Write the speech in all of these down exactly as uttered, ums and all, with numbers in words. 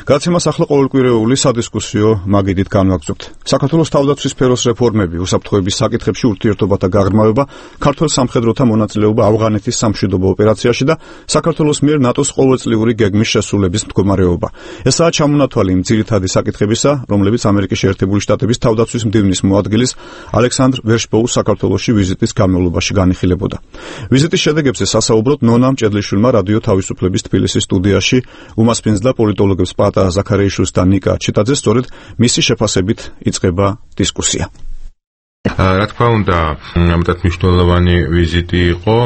გადაცემას ახლა ყოველკვირეული სადისკუსიო მაგიდით განვაგრძობთ. საქართველოს თავდაცვის სფეროს რეფორმები, უსაფრთხოების საკითხებში ურთიერთობათა გაღრმავება, ქართველ სამხედროთა მონაწილეობა ავღანეთის სამშვიდობო ოპერაციაში და საქართველოს მიერ ნატოს ყოველწლიური გეგმის შესრულების მდგომარეობა. ესაა ჩამონათვალი იმ ძირითადი საკითხებისა, რომლებიც ამერიკის შეერთებული შტატების თავდაცვის მდივნის მოადგილის ალექსანდრ ვერშბოუს საქართველოში ვიზიტის განმავლობაში განიხილებოდა. ვიზიტის შედეგებზე სასაუბროდ ნონა მჭედლიშვილმა რადიო თავისუფლების თბილისის სტუდიაში უმასპინძლა და პოლიტოლოგებს პატა ზაქარეიშვილს და ნიკა ჩიტაძეს სწორედ მისი შეფასებით იწყება დისკუსია. რა თქმა უნდა, მეტად მნიშვნელოვანი ვიზიტი იყო,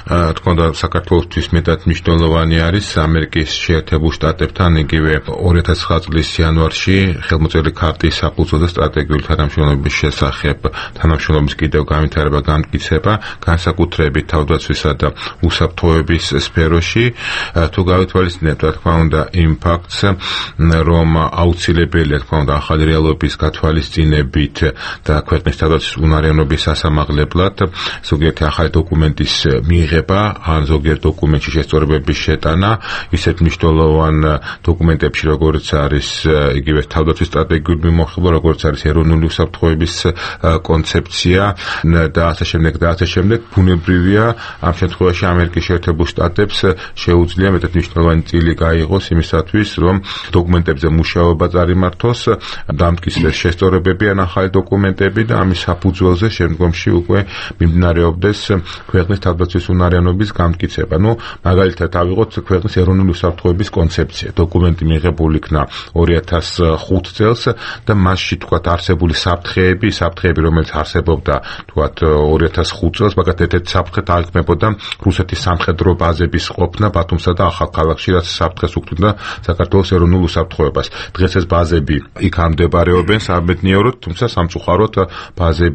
რა თქმა უნდა, საქართველოსთვის მეტად მნიშვნელოვანი არის ამერიკის შეერთებულ შტატებთან იგივე ორი ათას ცხრა წლის იანვარში ხელმოწერილი ქარტიის საფუძვო და სტრატეგიული თანამშრომლობის შესახებ თანამშრომლობის კიდევ განვითარება განმტკიცება, განსაკუთრებით თავდაცვისა და უსაფრთხოების სფეროში, თუ გავითვალისწინებთ, რა თქმა უნდა, იმ ფაქტს, რომ აუცილებელია, რა თქმა უნდა, ახალი რეალობის გათვალისწინებით და ქვეყნის თავდაცვის უნარიანობის სასამაღლებლად ზოგიერთი ახალი დოკუმენტის მიღება ან ზოგიერთ დოკუმენტში შესწორებების შეტანა ისეთ მნიშვნელოვან დოკუმენტებში როგორც არის იგივე თავდაცვის სტრატეგიული მიმოხილვა როგორც არის ეროვნული უსაფრთხოების კონცეფცია და ასე შემდეგ და ასე შემდეგ ბუნებრივია ამ შემთხვევაში ამერიკის შეერთებულ შტატებს შეუძლია მეტად მნიშვნელოვანი წილი გაიღოს იმისათვის რომ დოკუმენტებზე მუშაობა წარიმართოს დამტკიცდეს შესწორებები ან ახალი დოკუმენტები და ამის საფუძველზე შემდგომში უკვე მიმდინარეობდეს ქვეყნის თავდაცვის უნარიანობის განმტკიცება. ნუ მაგალითად ავიღოთ ქვეყნის ეროვნული უსაფრთხოების კონცეფცია. დოკუმენტი მიღებული იქნა ორი ათას ხუთი წელს და მასში თქვათ არსებული საფრთხეები, საფრთხეები რომელიც არსებობდა თქვათ ორი ათას ხუთი წელს, მაგათ ერთ-ერთი საფრთხე დაიქმნებოდა რუსეთის სამხედრო ბაზების ყოფნა ბათუმსა და ახალქალაქში, რაც საფრთხეს უქმნიდა საქართველოს ეროვნულ უსაფრთხოებას. დღეს ეს ბაზები იქ არ მდებარეობენ სამედნიეროდ, თუმცა სამწუხაროდ ბაზები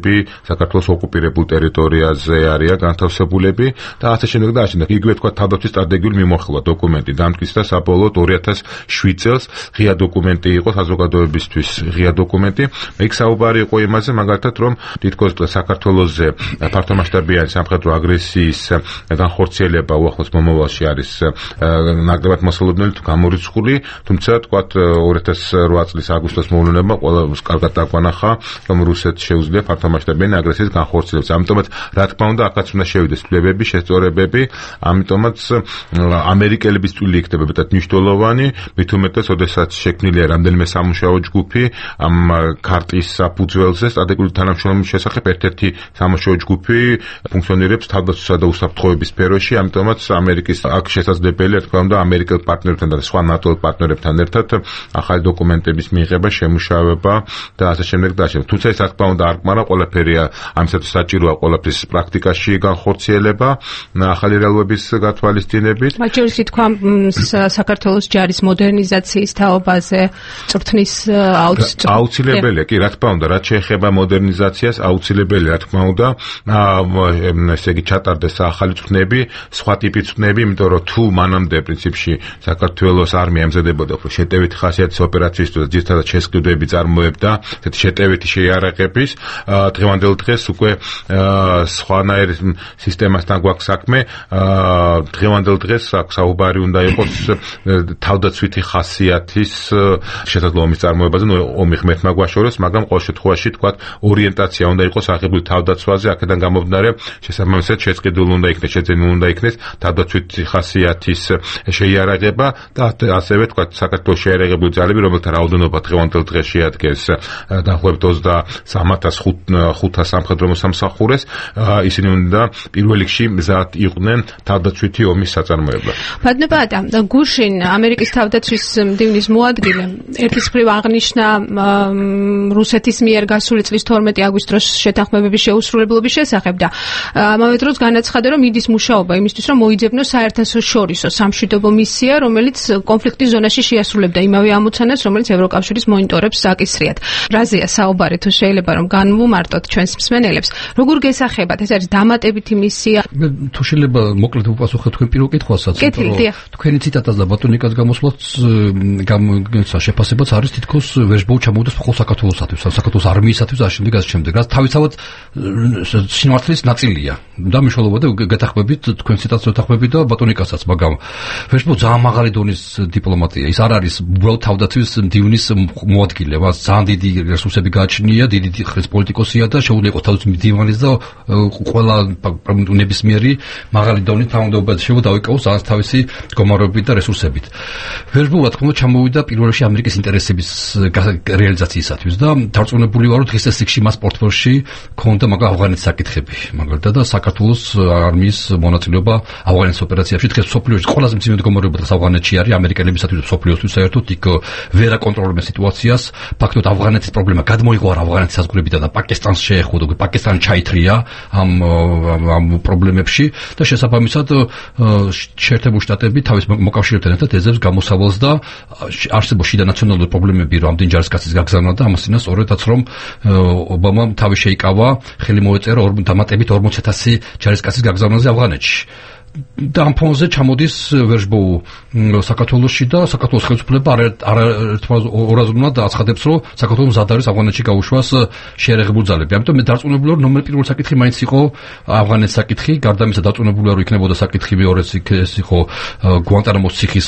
საქართველოს ოკუპირებულ ტერიტორიაზე არიან განთავსებულები და ასე შემდეგ და ასე შემდეგ. იგივე თქვა თავდაცვის სტრატეგიული მიმოხილვა დოკუმენტი დამტკიცდა საბოლოოდ ორი ათას შვიდ წელს, ღია დოკუმენტი იყო საზოგადოებისთვის, ღია დოკუმენტი. იქ საუბარი იყო იმაზე, მაგალითად, რომ თითქოს საქართველოსზე ფართომასშტაბიანი სამხედრო აგრესიის განხორციელება უახლოს მომავალში არის ნაკლებად მოსალოდნელი თუ გამორიცხული, თუმცა თქვა ორი ათას რვა წლის აგვისტოს მოვლენებმა ყველას კარგად დაგვანახა, რომ რუსეთს შეუძლია ფართომასშტაბიანი აგრესიის განხორციელებას. ამიტომაც, რა თქმა უნდა, აქაც უნდა შევიდეს ცვლილებები, შესწორებები, ამიტომაც ამერიკელების წვლილი იქნება მეტად მნიშვნელოვანი, მით უმეტეს, როდესაც შექმნილია რამდენიმე სამუშაო ჯგუფი ამ ქარტიის საფუძველზე სტრატეგიული თანამშრომლობის შესახებ ერთ-ერთი სამუშაო ჯგუფი ფუნქციონირებს თავდაცვისა და უსაფრთხოების სფეროში, ამიტომაც ამერიკის აქ შესაძლებელია, რა თქმა უნდა, ამერიკელ პარტნიორებთან და სხვა ნატო პარტნიორებთან ერთად ახალი დოკუმენტების მიღება, შემუშავება და ასე შემდეგ და ასე შემდეგ. თუმცა ეს რა თქმა უნდა არ კმარა, ყველაფერია ამისათვის საჭიროა ყველაფრის პრაქტიკაში განხორციელება, ახალი რეალობების გათვალისწინებით. მათ შორის თქვა საქართველოს ჯარის მოდერნიზაციის თაობაზე წვრთნის აუცილებელია, კი რა თქმა უნდა, რაც შეეხება მოდერნიზაციას, აუცილებელია რა თქმა უნდა, ესე იგი ჩატარდეს ახალი წვრთნები, სხვა ტიპის წვრთნები, იმიტომ რომ თუ მანამდე პრინციპში საქართველოს არმია ემზადებოდა შეტევითი ხასიათის ოპერაციისთვის, ძირითადად შესყიდვები წარმოებდა, ესეთი შეტევითი შეიარაღების, დღევანდელ დღეს უკვე სხვანაირ სისტემასთან გვაქვს საქმე, დღევანდელ დღეს აქ საუბარი უნდა იყოს თავდაცვითი ხასიათის შესაძლებლობის წარმოებაზე, ნუ ომი ღმერთმა გვაშოროს, მაგრამ ყოველ შემთხვევაში თქვა ორიენტაცია უნდა იყოს აღებული თავდაცვაზე, აქედან გამომდინარე შესაბამისად შეწყდილი უნდა იქნეს, შეძენილი უნდა იქნეს თავდაცვითი ხასიათის შეიარაღება და ასევე თქვა საქართველოს შეიარაღებული ძალები, რომელთა რაოდენობა დღევანდელ დღეს შეადგენს დაახლოებით ოცდასამ ათას ხუთას სამხედრო მოსამსახურეს, ისინი უნდა პირველ რიგში მზად იყვნენ თავდაცვითი ომის საწარმოებლად. ბატონებადა, გუშინ ამერიკის თავდაცვის მდივნის მოადგილე ერთის მხრივ აღნიშნა რუსეთის მიერ გასული წლის თორმეტი აგვისტოს შეთანხმებების შეუსრულებლობის შესახებ და ამავე დროს განაცხადა, რომ იდის მუშაობა იმისთვის, რომ მოიძებნოს საერთაშორისო სამშვიდობო მისია, რომელიც კონფლიქტის ზონაში შეასრულებდა იმავე ამოცანას, რომელიც ევროკავშირის მონიტორებს აკისრიათ. რაზეა საუბარი, თუ შეიძლება რომ განვუმ მარტოდ ჩვენს მსმენელებს. როგორ გესახებათ? ეს არის დამატებითი მისია? თუ შეიძლება მოკლედ უპასუხოთ თქვენ პირველ კითხვასაც, თქვენი ციტატას და ბატონიკას გამოსვლაც შეფასებაც არის თითქოს ვეჟბოუ ჩამოვიდეს მხოლოდ საქართველოსათვის, საქართველოს არმიისათვის და შემდეგ ასე შემდეგ. რაც თავისთავად სიმართლის ნაწილია. და მნიშვნელობა და გეთახმებით თქვენ ციტატს ვეთახმებით და ბატონიკასაც, მაგრამ ვეჟბოუ ძალიან მაღალი დონის დიპლომატია. ის არ არის უბრალოდ თავდაცვის მდივნის მოადგილე, მას ძალიან დიდი რესურსები გააჩნია, დიდი ხნის პოლიტიკოსია და შეუძლია იყოს თავდაცვის მდივანის და ყველა ნებისმიერი მაღალი დონის თანამდებობაზე შეუძლია დაიკავოს ძალიან თავისი მდგომარეობით და რესურსებით. ვეჟბოუ რა თქმა უნდა ჩამოვიდა პირველ რიგში ამერიკის ინტერესების რეალიზაციისათვის და დარწმუნებული ვარ, რომ დღეს ეს სიგში მას პორტფელში ქონდა მაგრამ ავღანეთის საკითხები, მაგალითად და საქართველოს არმიის მონაწილეობა ავღანეთის ოპერაციაში. დღეს სოფლიოში ყველაზე მძიმე მდგომარეობა დღეს ავღანეთში არის ამერიკელებისათვის და სოფლიოსთვის საერთოდ იქ ვერ აკონტროლებენ სიტუაციას. ფაქტობრივად ავღანეთის პრობლემა გადმოიღო ავღანეთის საზღვრებიდან და პაკისტანს შეეხო, პაკისტანი ჩაითრია ამ ამ პრობლემებში და შესაბამისად შეერთებული შტატები თავის მოკავშირეებთან ერთად ეძებს გამოსავალს და არსებობს შიდა ნაციონალური პრობლემები, რომ ამდენი ჯარისკაცის გაგზავნა და ამასთანავე სწორედაც რომ ობამამ თავი შეიკავა, ხელი მოეწერა დამატებით ორმოცი ათასი ჯარისკაცის გაგზავნაზე ავღანეთში. და ამ ფონზე ჩამოდის ვეჟბოუ საქართველოში და საქართველოს ხელისუფლება არაერთმა ორაზროვნად აცხადებს, რომ საქართველოს მზად არის ავღანეთში გაუშვას შეერაღებული ძალები. ამიტომ მე დარწმუნებული ვარ, ნომერ პირველი საკითხი მაინც იყო ავღანეთის საკითხი, გარდა ამისა დარწმუნებული ვარ, რომ იქნებოდა საკითხი მეორეც ეს იყო გვანტანამოს ციხის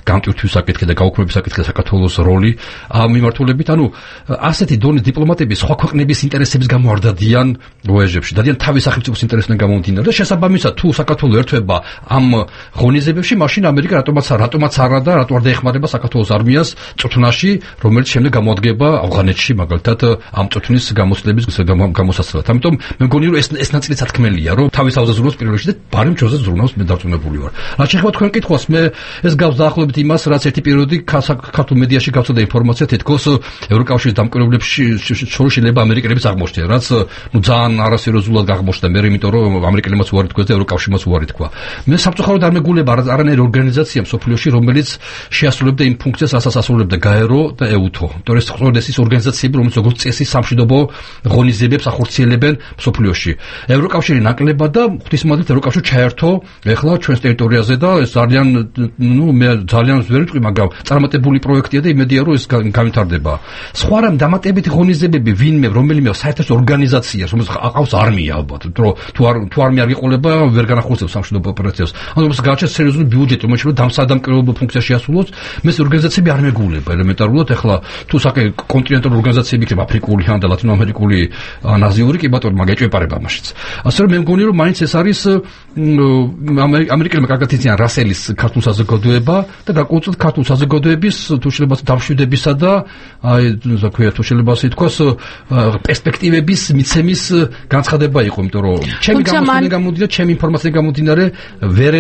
გამტვირთვის საკითხი და გაუქმების საკითხი და საქართველოს როლი ამ მიმართულებით. ანუ ასეთი დონის დიპლომატები სხვა ქვეყნების ინტერესების გამო არ დადიან ვეჟებში, დადიან თავის სახელმწიფოს ინტერესებიდან გამომდინარე და შესაბამისად თუ საქართველოს ერთვება ამ ღონისძიებებში, მაშინ ამერიკა რატომაც რატომაც არა და რატო არ დაეხმარება საქართველოს არმიას წვრთნაში, რომელიც შემდეგ გამოადგება ავღანეთში, მაგალითად ამ წვრთნის გამოცდილების გამოსაცდელად. ამიტომ მე მგონი, რომ ეს ეს ნაწილი სათქმელია, რომ თავის თავზე ზრუნავს პირველ რიგში და ბარემ ჩვენზე ზრუნავს, მე დარწმუნებული ვარ. რაც შეეხება თქვენ კითხვას, მე ეს გავს დაახლოებით იმას, რაც ერთი პერიოდი ქართულ მედიაში გავწოდა ინფორმაცია, თითქოს ევროკავშირის დამკვირვებლებში შორის შეიძლება ამერიკელებიც აღმოჩნდნენ, რაც ნუ ძალიან არასერიოზულად აღმოჩნდა მე, იმიტომ რომ ამერიკელებმაც უარი თქვეს და ევროკავშირმაც უარი თქვა. მე სამწუხაროდ არ მეგულება არანაირი ორგანიზაცია მსოფლიოში, რომელიც შეასრულებდა იმ ფუნქციას, რასაც ასრულებდა გაერო და ეუთო. იმიტომ ეს სწორედ ეს ორგანიზაციები, რომელიც როგორც წესი სამშვიდობო ღონისძიებებს ახორციელებენ მსოფლიოში. ევროკავშირი ნაკლებად და ღვთისმადლით ევროკავშირი ჩაერთო ეხლა ჩვენს ტერიტორიაზე და ეს ძალიან ნუ მე ძალიან ვერ ვიტყვი, მაგრამ წარმატებული პროექტია და იმედია, რომ ეს განვითარდება. სხვა რამ დამატებითი ღონისძიებები ვინმე რომელიმე საერთაშორისო ორგანიზაციას, რომელიც აყავს არმია ალბათ, რომ თუ არ თუ არმია არ იყოლება, ვერ განახორციელებს სამშვიდობო ოპერაციას. ანუ მას გააჩნია სერიოზული ბიუჯეტი, რომელიც რომ დამსადამკვირვებლო ფუნქცია შეასრულოს, მეს ორგანიზაციები არ მეგულება ელემენტარულად. ეხლა თუ საკე კონტინენტური ორგანიზაციები იქნება აფრიკული ან და ლათინოამერიკული ან აზიური, კი ბატონო, მაგ ეჭვებარება მაშიც. ასე რომ მე მგონი, რომ მაინც ეს არის ამერიკელებმა კარგად იციან რასელის ქართულ საზოგადოება და გარკვეულწილად ქართულ საზოგადოების თუ შეიძლება დამშვიდებისა და აი რა ქვია, თუ შეიძლება ასე ითქვას, პერსპექტივების მიცემის განცხადება იყო, იმიტომ რომ ჩემი გამოცდილება გამოდიდა, ჩემი ინფორმაცია გამომდინარე, ვერ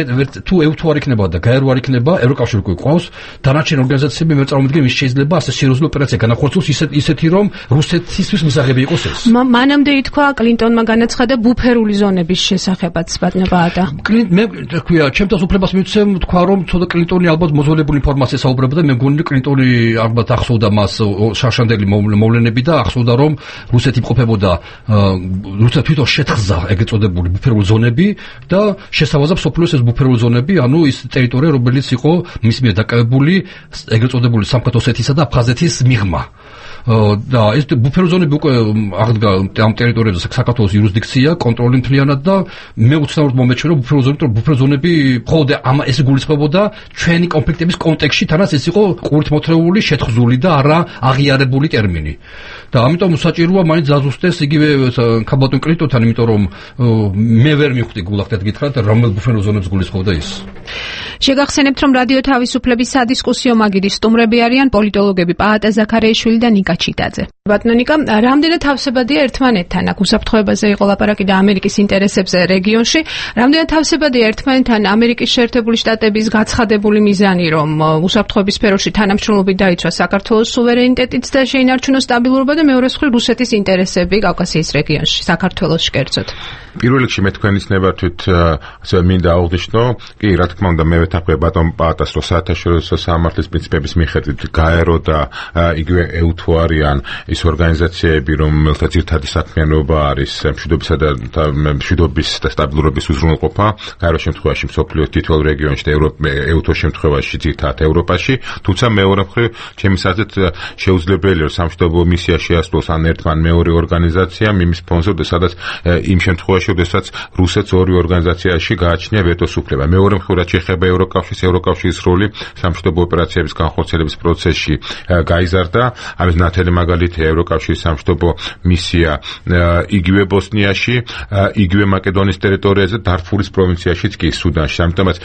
თუ ეუთო არ იქნება და გაერო არ იქნება, ევროკავშირი უკვე ყავს, დანარჩენ ორგანიზაციები მე წარმოვიდგენ, ის შეიძლება ასე სერიოზული ოპერაცია განახორციელოს ისეთ ისეთი, რომ რუსეთისთვის მისაღები იყოს ეს. მანამდე ითქვა კლინტონმა განაცხადა ბუფერული ზონების შესახებაც, ბატონო ბაადა. მე თქვია, ჩემთვის უფლებას მივცემ თქვა, რომ ცოტა კლინტონი ალბათ მოძველებული ინფორმაცია საუბრებდა და მე მგონი კლინტონი ალბათ ახსოვდა მას შარშანდელი მოვლენები და ახსოვდა, რომ რუსეთი იმყოფებოდა რუსეთი თვითონ შეთხზა ეგრეთ წოდებული ბუფერული ზონები და შესთავაზა სოფლიოს ეს ბუფერული ზონები, ანუ ის ტერიტორია, რომელიც იყო მის მიერ დაკავებული ეგრეთ წოდებული სამხრეთ ოსეთისა და აფხაზეთის მიღმა. და ეს ბუფერული ზონები უკვე აღდგა ამ ტერიტორიაზე საქართველოს იურისდიქცია, კონტროლი მთლიანად და მე უცნაურად მომეჩვენა, რომ ბუფერული ზონები, ბუფერული ზონები მხოლოდ ამ ეს გულისხმობოდა ჩვენი კონფლიქტების კონტექსტში, თანაც ეს იყო ყურთმოთრეული, შეთხზული და არა აღიარებული ტერმინი. და ამიტომ საჭიროა მაინც ზაზუსტეს იგივე ქაბატონ კლინტონთან, იმიტომ რომ მე ვერ მივხვდი გულახდეთ გითხრათ, რომელ ბუფერულ ზონებს გულისხმობდა ის. შეგახსენებთ, რომ რადიო თავისუფლების სადისკუსიო მაგიდის სტუმრები არიან პოლიტოლოგები პაატა ზაქარიაშვილი და ნიკა ჩიტაძე. ბატონო ნიკა, რამდენად თავსებადია ერთმანეთთან აქ უსაფრთხოებაზე იყო ლაპარაკი და ამერიკის ინტერესებზე რეგიონში, რამდენად თავსებადია ერთმანეთთან ამერიკის შეერთებული შტატების გაცხადებული მიზანი, რომ უსაფრთხოების სფეროში თანამშრომლობით დაიცვა საქართველოს სუვერენიტეტიც და შეინარჩუნოს სტაბილურობა და მეორე მხრივ რუსეთის ინტერესები კავკასიის რეგიონში, საქართველოს კერძოდ. პირველ რიგში მე თქვენის ნებართვით ასე მინდა აღვნიშნო, კი რა თქმა უნდა მე ვეთანხმებ ბატონ პაატას, რომ საერთაშორისო სამართლის პრინციპების მიხედვით გაერო და იგივე ეუთო არიან ის ორგანიზაციები, რომელთა ძირითადი საქმიანობა არის მშვიდობისა და მშვიდობის და სტაბილურობის უზრუნველყოფა, გაეროს შემთხვევაში მსოფლიოს თითოეულ რეგიონში და ეუთოს შემთხვევაში ძირითადად ევროპაში, თუმცა მეორე მხრივ, ჩემი აზრით, შეუძლებელია რომ სამშვიდობო მისია შეასრულოს ან ერთ ან მეორე ორგანიზაციამ იმის ფონზე, სადაც იმ შემთხვევაში, როდესაც რუსეთს ორი ორგანიზაციაში გააჩნია ვეტოს უფლება. მეორე მხრივ, რაც შეეხება ევროკავშირს, ევროკავშირის როლი სამშვიდობო ოპერაციების განხორციელების პროცესში გაიზარდა. ამის ნათელი მაგალითია ევროკავშირის სამშვიდობო მისია იგივე ბოსნიაში, იგივე მაკედონიის ტერიტორიაზე, დარფურის პროვინციაშიც კი სუდანში. ამიტომაც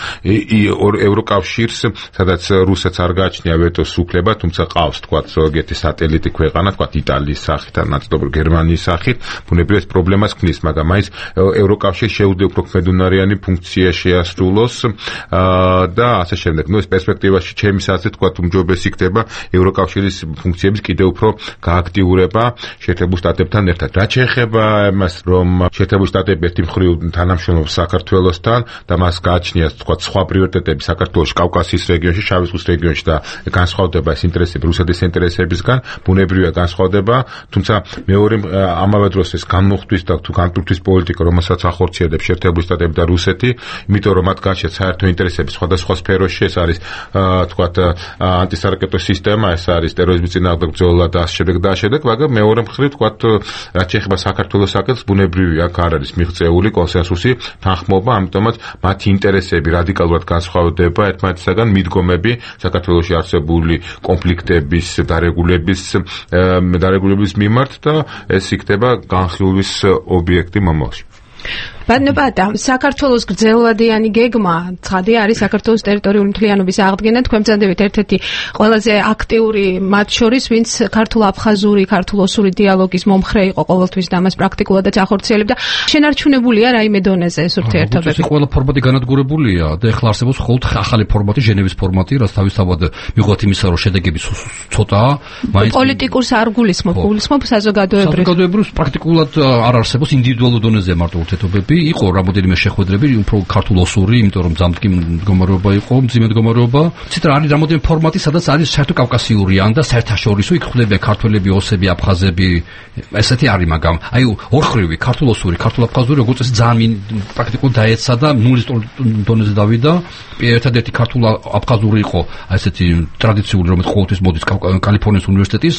ევროკავშირს, სადაც რუსეთს არ გააჩნია ვეტოს უფლება, თუმცა ყავს თქვა ზოგიერთი სატელიტი ქვეყანა, თქვა იტალიის სახით ან ნაწილობრივ გერმანიის სახით, ბუნებრივად პრობლემას ქმნის, მაგრამ მაინც ევროკავშირს შეუძლია უფრო ქმედუნარიანი ფუნქცია შეასრულოს და ასე შემდეგ. ნუ ეს პერსპექტივაში ჩემი აზრით თქვა უმჯობესი იქნება ევროკავშირის ფუნქციების კიდევ უფრო გააქტიურება შეერთებულ შტატებთან ერთად. რაც შეეხება იმას, რომ შეერთებული შტატები ერთი მხრივ თანამშრომლობს საქართველოსთან და მას გააჩნია თქვა სხვა პრიორიტეტები საქართველოს, კავკასიის რეგიონში, შავი ზღვის რეგიონში და განსხვავდება ეს ინტერესები რუსეთის ინტერესებისგან, ბუნებრივია განსხვავდება, თუმცა მეორე ამავე დროს ეს განმუხტვის და თუ განტვირთვის პოლიტიკა, რომელსაც ახორციელებს შეერთებული შტატები და რუსეთი, იმიტომ რომ მათ გააჩნიათ საერთო ინტერესები სხვადასხვა სფეროში, ეს არის თქვა ანტისარაკეტო სისტემა, ეს არის ტერორიზმის წინააღმდეგ ბრძოლა და ასე შემდეგ და ასე შემდეგ, მაგრამ მეორე მხრივ თქვა რაც შეეხება საქართველოს საკითხს, ბუნებრივია აქ არ არის მიღწეული კონსენსუსი, თანხმობა, ამიტომაც მათი ინტერესები რადიკალურად განსხვავდება ერთმანეთისაგან, მიდგომები საქართველოში არსებული კონფლიქტების დარეგულების დარეგულების მიმართ და ეს იქნება განხილვის ობიექტი მომავალში. ბატონო, საქართველოს გრძელვადიანი გეგმა ცხადი არის საქართველოს ტერიტორიული მთლიანობის აღდგენა. თქვენ ბრძანდებით ერთ-ერთი ყველაზე აქტიური მათ შორის, ვინც ქართულ-აფხაზური, ქართულ-ოსური დიალოგის მომხრე იყო ყოველთვის და მას პრაქტიკულადაც ახორციელებდა. შენარჩუნებულია რაიმე დონეზე ეს ურთიერთობები? ეს ყველა ფორმატი განადგურებულია და ეხლა არსებობს მხოლოდ ახალი ფორმატი, ჟენევის ფორმატი, რაც თავისთავად მიუხედავად იმისა, რომ შედეგები ცოტაა, მაინც პოლიტიკურს არ გულისხმობ, გულისხმობ საზოგადოებრივს. საზოგადოებრივს პრაქტიკულად არ არსებობს ინდივიდუალურ დონეზე მარტო ურთიერთობები. იყო რამოდენიმე შეხვედრები, უფრო ქართულ-ოსური, იმიტომ რომ ძამტკი მდგომარეობა იყო, მძიმე მდგომარეობა. ცით რა არის რამოდენიმე ფორმატი, სადაც არის საერთო კავკასიური ან და საერთაშორისო, იქ ხვდება ქართველები, ოსები, აფხაზები, ესეთი არის, მაგრამ აი ორხრივი ქართულ-ოსური, ქართულ-აფხაზური, როგორც ეს ძალიან პრაქტიკულად დაეცა და ნულის დონეზე დავიდა. ერთადერთი ქართულ-აფხაზური იყო ესეთი ტრადიციული, რომელიც ყოველთვის მოდის კალიფორნიის უნივერსიტეტის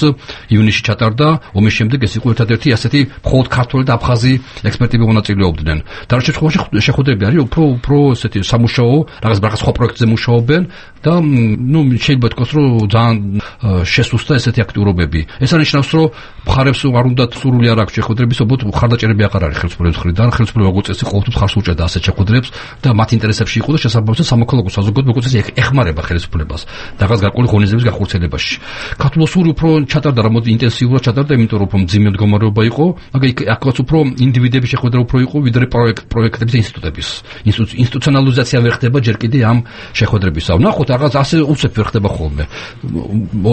ივნისში ჩატარდა, ომის შემდეგ ეს იყო ერთადერთი ასეთი მხოლოდ ქართველი და აფხაზი ექსპერტები მონაწილეობდნენ. დარჩენილ შემთხვევაში შეხვედრები არის უფრო უფრო ესეთი სამუშაო, რაღაც რაღაც სხვა პროექტზე მუშაობენ და ნუ შეიძლება თქვას, რომ ძალიან შესუსტა ესეთი აქტიურობები. ეს არნიშნავს, რომ მხარებს არ უნდათ სურვილი არ აქვს შეხვედრების, უბრალოდ მხარდაჭერები აღარ არის ხელისუფლების მხრიდან. ხელისუფლება როგორც წესი ყოველთვის მხარს უჭერდა ასეთ შეხვედრებს და მათ ინტერესებში იყო და შესაბამისად სამოქალაქო საზოგადოება როგორც წესი ეხმარება ხელისუფლებას რაღაც გარკვეული ღონისძიების განხორციელებაში. ქართულ-ოსური უფრო ჩატარდა, რამოდ ინტენსიურად ჩატარდა, იმიტომ რომ უფრო მძიმე მდგომარეობა იყო, მაგრამ აქაც უფრო ინდივიდების შეხვედრა უფრო იყო ვიდრე პროექტ პროექტების ინსტიტუტების ინსტიტუციონალიზაცია ვერ ხდება ჯერ კიდე ამ შეხვედრებისა. ვნახოთ რაღაც ასე უცებ ვერ ხდება ხოლმე.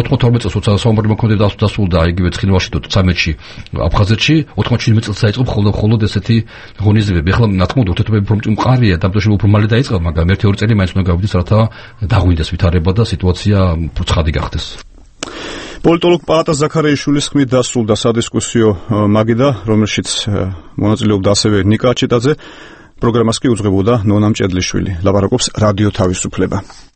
ოთხმოცდაათი წელს როცა საომარი მოქმედება დასრულდა იგივე ცხინვალში თუ ცამეტში აფხაზეთში, ოთხმოცდაშვიდი წელს დაიწყო მხოლოდ მხოლოდ ესეთი ღონისძიებები. ახლა ნათმოდ ურთიერთობები უფრო მყარია, დამტოშები უფრო მალე დაიწყო, მაგრამ ერთი ორი წელი მაინც უნდა გავიდეს, რათა დაღვინდეს ვითარება და სიტუაცია უფრო ცხადი გახდეს. პოლიტოლოგ პაატა ზაქარიაშვილის ხმით დასრულდა სადისკუსიო მაგიდა, რომელშიც მონაწილეობდა ასევე ნიკა აჩეტაძე. პროგრამას კი უძღვებოდა ნონა მჭედლიშვილი. ლაპარაკობს რადიო თავისუფლება.